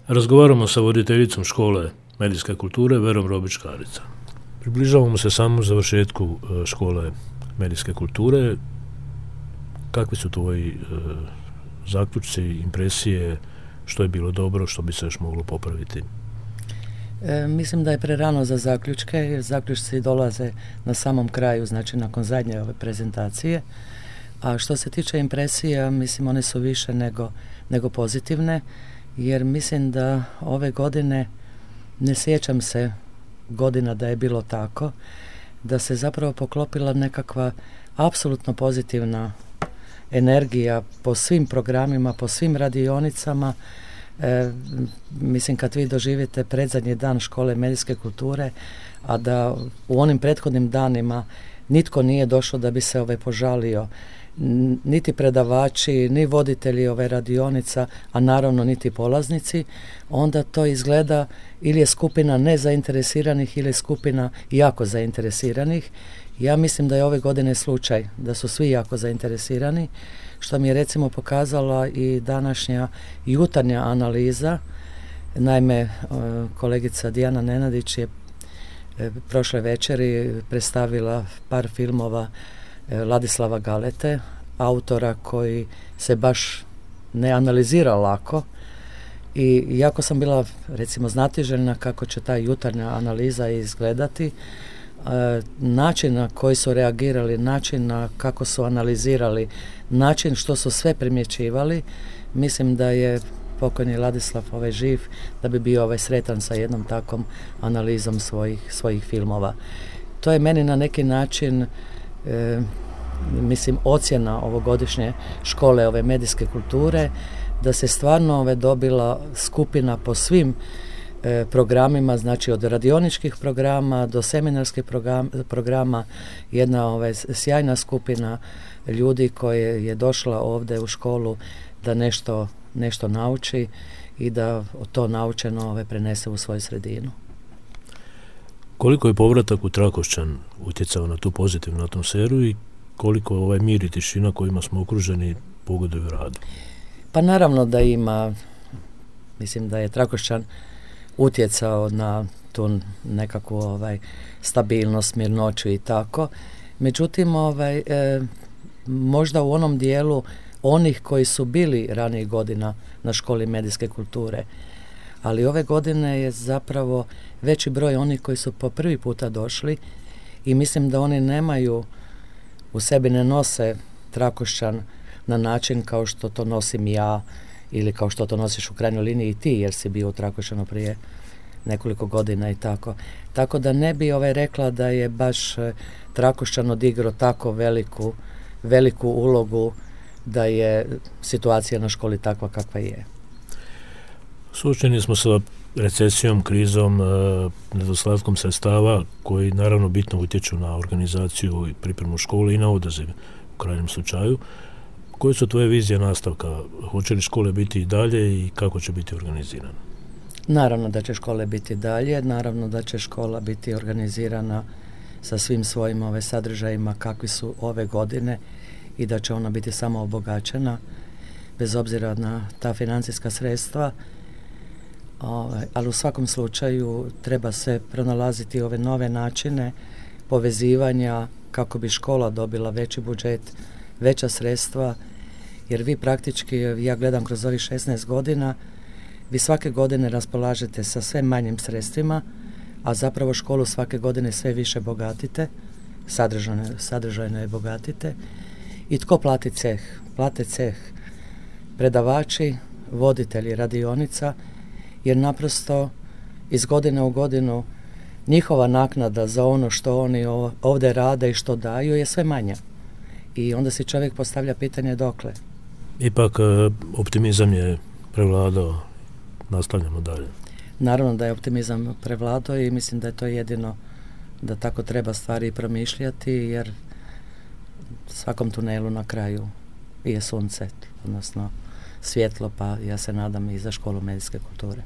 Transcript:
Razgovaramo sa voditeljicom škole medijske kulture Verom Robić-Karica. Približavamo se samom završetku škole medijske kulture. Kakvi su tvoji zaključci, impresije, što je bilo dobro, što bi se još moglo popraviti? Mislim da je prerano za zaključke, jer zaključci dolaze na samom kraju, znači nakon zadnje ove prezentacije. A što se tiče impresija, mislim one su više nego pozitivne, jer mislim da ove godine, ne sjećam se godina da je bilo tako, da se zapravo poklopila nekakva apsolutno pozitivna energija po svim programima, po svim radionicama. Mislim kad vi doživite predzadnji dan škole medijske kulture, a da u onim prethodnim danima nitko nije došao da bi se požalio, niti predavači, ni voditelji ove radionica, a naravno niti polaznici, onda to izgleda ili je skupina nezainteresiranih ili je skupina jako zainteresiranih. Ja mislim da je ove godine slučaj da su svi jako zainteresirani, što mi je recimo pokazala i današnja jutarnja analiza. Naime, kolegica Dijana Nenadić je prošle večeri predstavila par filmova Ladislava Galete, autora koji se baš ne analizira lako, i jako sam bila recimo znatiželjna kako će ta jutarnja analiza izgledati, način na koji su reagirali, način na kako su analizirali, način što su sve primjećivali. Mislim da je pokojni Ladislav živ, da bi bio sretan sa jednom takvom analizom svojih filmova. To je meni na neki način mislim ocjena ovogodišnje škole ove medijske kulture, da se stvarno dobila skupina po svim programima, znači od radioničkih programa do seminarskih programa, jedna sjajna skupina ljudi koja je došla ovdje u školu da nešto nauči i da to naučeno prenese u svoju sredinu. Koliko je povratak u Trakošćan utjecao na tu pozitivnu atmosferu i koliko mir i tišina kojima smo okruženi pogoduju radu? Pa naravno da ima, mislim da je Trakošćan utjecao na tu nekakvu stabilnost, mirnoću i tako. Međutim, možda u onom dijelu onih koji su bili ranijih godina na školi medijske kulture, ali ove godine je zapravo veći broj onih koji su po prvi puta došli i mislim da oni nemaju, u sebi ne nose Trakošćan na način kao što to nosim ja ili kao što to nosiš u krajnjoj liniji i ti, jer si bio u Trakošćanu prije nekoliko godina i tako. Tako da ne bi rekla da je baš Trakošćan odigrao tako veliku ulogu da je situacija na školi takva kakva je. Suočeni smo sa recesijom, krizom, nedostatkom sredstava koji naravno bitno utječu na organizaciju i pripremu škole i na odaziv u krajnjem slučaju. Koje su tvoje vizije nastavka? Hoće li škole biti i dalje i kako će biti organizirane? Naravno da će škole biti dalje, naravno da će škola biti organizirana sa svim svojim sadržajima kakvi su ove godine i da će ona biti samo obogaćena bez obzira na ta financijska sredstva. Ali u svakom slučaju treba se pronalaziti ove nove načine povezivanja kako bi škola dobila veći budžet, veća sredstva, jer vi praktički, ja gledam kroz ovih 16 godina, vi svake godine raspolažete sa sve manjim sredstvima, a zapravo školu svake godine sve više bogatite, sadržajno je bogatite. I tko plati ceh? Plate ceh predavači, voditelji radionica, jer naprosto iz godine u godinu njihova naknada za ono što oni ovdje rade i što daju je sve manja. I onda si čovjek postavlja pitanje dokle. Ipak optimizam je prevladao, nastavljamo dalje. Naravno da je optimizam prevladao i mislim da je to jedino da tako treba stvari promišljati, jer svakom tunelu na kraju je sunce, odnosno svjetlo, pa ja se nadam i za školu medijske kulture.